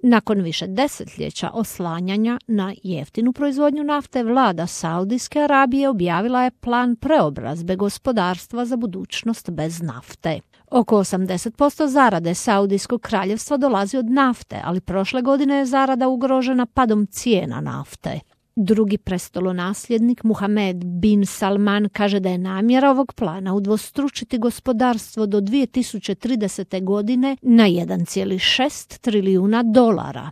Nakon više desetljeća oslanjanja na jeftinu proizvodnju nafte, vlada Saudijske Arabije objavila je plan preobrazbe gospodarstva za budućnost bez nafte. Oko 80% zarade Saudijskog kraljevstva dolazi od nafte, ali prošle godine je zarada ugrožena padom cijena nafte. Drugi prestolonasljednik Muhamed bin Salman kaže da je namjera ovog plana udvostručiti gospodarstvo do 2030. godine na 1,6 trilijuna dolara.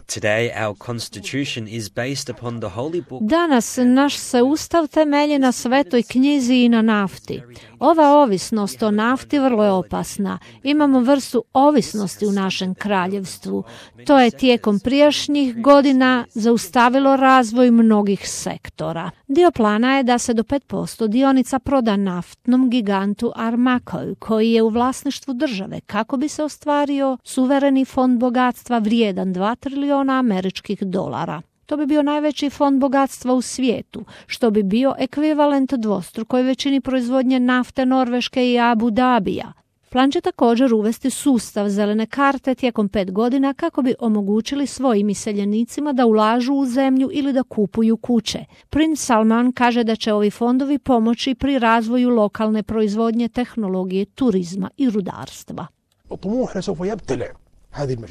Today our constitution is based upon the holy book. Danas naš se ustav temelji na svetoj knjizi i na nafti. Ova ovisnost o nafti vrlo je opasna. Imamo vrstu ovisnosti u našem kraljevstvu. To je tijekom prijašnjih godina zaustavilo razvoj mnogih sektora. Dio plana je da se do 5% dionica proda naftnom gigantu Aramco, koji je u vlasništvu države, kako bi se ostvario suvereni fond bogatstva vrijedan 2 trilijuna američkih dolara. To bi bio najveći fond bogatstva u svijetu, što bi bio ekvivalent dvostrukoj većini proizvodnje nafte Norveške i Abu Dabija. Plan će također uvesti sustav zelene karte tijekom 5 godina kako bi omogućili svojim iseljenicima da ulažu u zemlju ili da kupuju kuće. Princ Salman kaže da će ovi fondovi pomoći pri razvoju lokalne proizvodnje, tehnologije, turizma i rudarstva.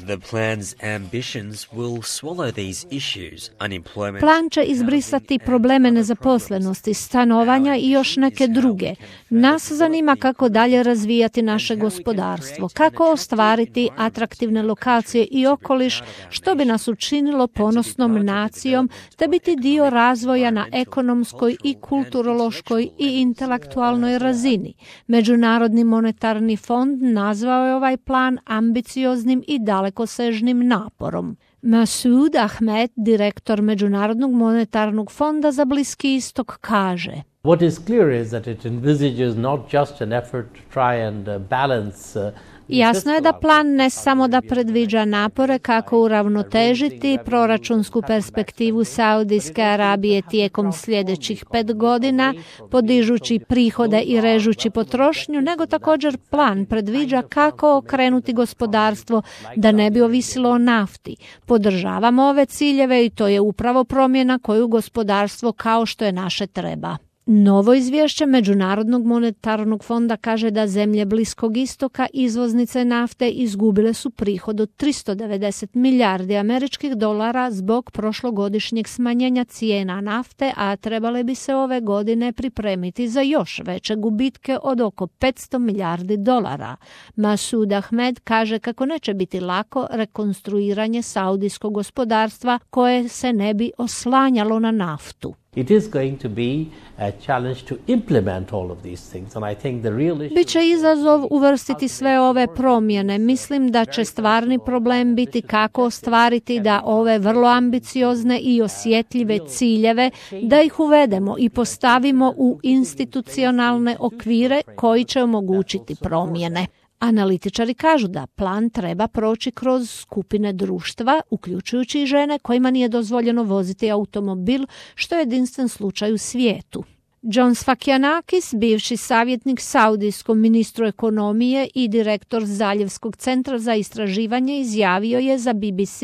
The plan's ambitions will swallow these issues, unemployment. Plan će izbrisati probleme nezaposlenosti, stanovanja i još neke druge. Nas zanima kako dalje razvijati naše gospodarstvo, kako ostvariti atraktivne lokacije i okoliš, što bi nas učinilo ponosnom nacijom, te biti dio razvoja na ekonomskoj i kulturološkoj i intelektualnoj razini. Međunarodni monetarni fond nazvao je ovaj plan ambicioznim i dalekosežnim naporom. Masoud Ahmed, direktor Međunarodnog monetarnog fonda za Bliski istok, kaže: What is clear is that it envisages not just an effort to try and balance Jasno je da plan ne samo da predviđa napore kako uravnotežiti proračunsku perspektivu Saudijske Arabije tijekom sljedećih 5 godina, podižući prihode i režući potrošnju, nego također plan predviđa kako okrenuti gospodarstvo da ne bi ovisilo o nafti. Podržavamo ove ciljeve i to je upravo promjena koju gospodarstvo kao što je naše treba. Novo izvješće Međunarodnog monetarnog fonda kaže da zemlje Bliskog istoka, izvoznice nafte, izgubile su prihod od 390 milijardi američkih dolara zbog prošlogodišnjeg smanjenja cijena nafte, a trebale bi se ove godine pripremiti za još veće gubitke od oko 500 milijardi dolara. Masoud Ahmed kaže kako neće biti lako rekonstruiranje saudijskog gospodarstva koje se ne bi oslanjalo na naftu. It is going to be a challenge to implement all of these things, and I think the real issue... Biće izazov uvrstiti sve ove promjene. Mislim da će stvarni problem biti kako ostvariti da ove vrlo ambiciozne i osjetljive ciljeve, da ih uvedemo i postavimo u institucionalne okvire koji će omogućiti promjene. Analitičari kažu da plan treba proći kroz skupine društva, uključujući i žene kojima nije dozvoljeno voziti automobil, što je jedinstven slučaj u svijetu. John Sfakianakis, bivši savjetnik saudijskom ministru ekonomije i direktor Zaljevskog centra za istraživanje, izjavio je za BBC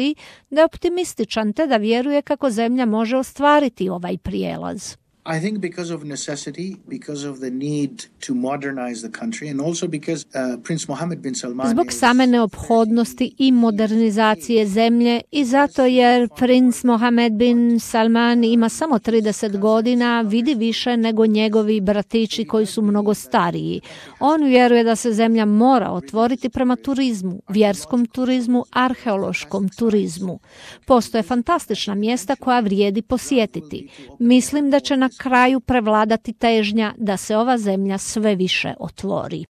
da je optimističan te da vjeruje kako zemlja može ostvariti ovaj prijelaz. I think because of necessity, because of the need to modernize the country, and also because Prince Mohammed bin Salman Zbog same neophodnosti i modernizacije zemlje i zato jer princ Mohammed bin Salman ima samo 30 godina, vidi više nego njegovi bratići koji su mnogo stariji. On vjeruje da se zemlja mora otvoriti prema turizmu, vjerskom turizmu, arheološkom turizmu. Postoje fantastična mjesta koja vrijedi posjetiti. Mislim da će na kraju prevladati težnja da se ova zemlja sve više otvori.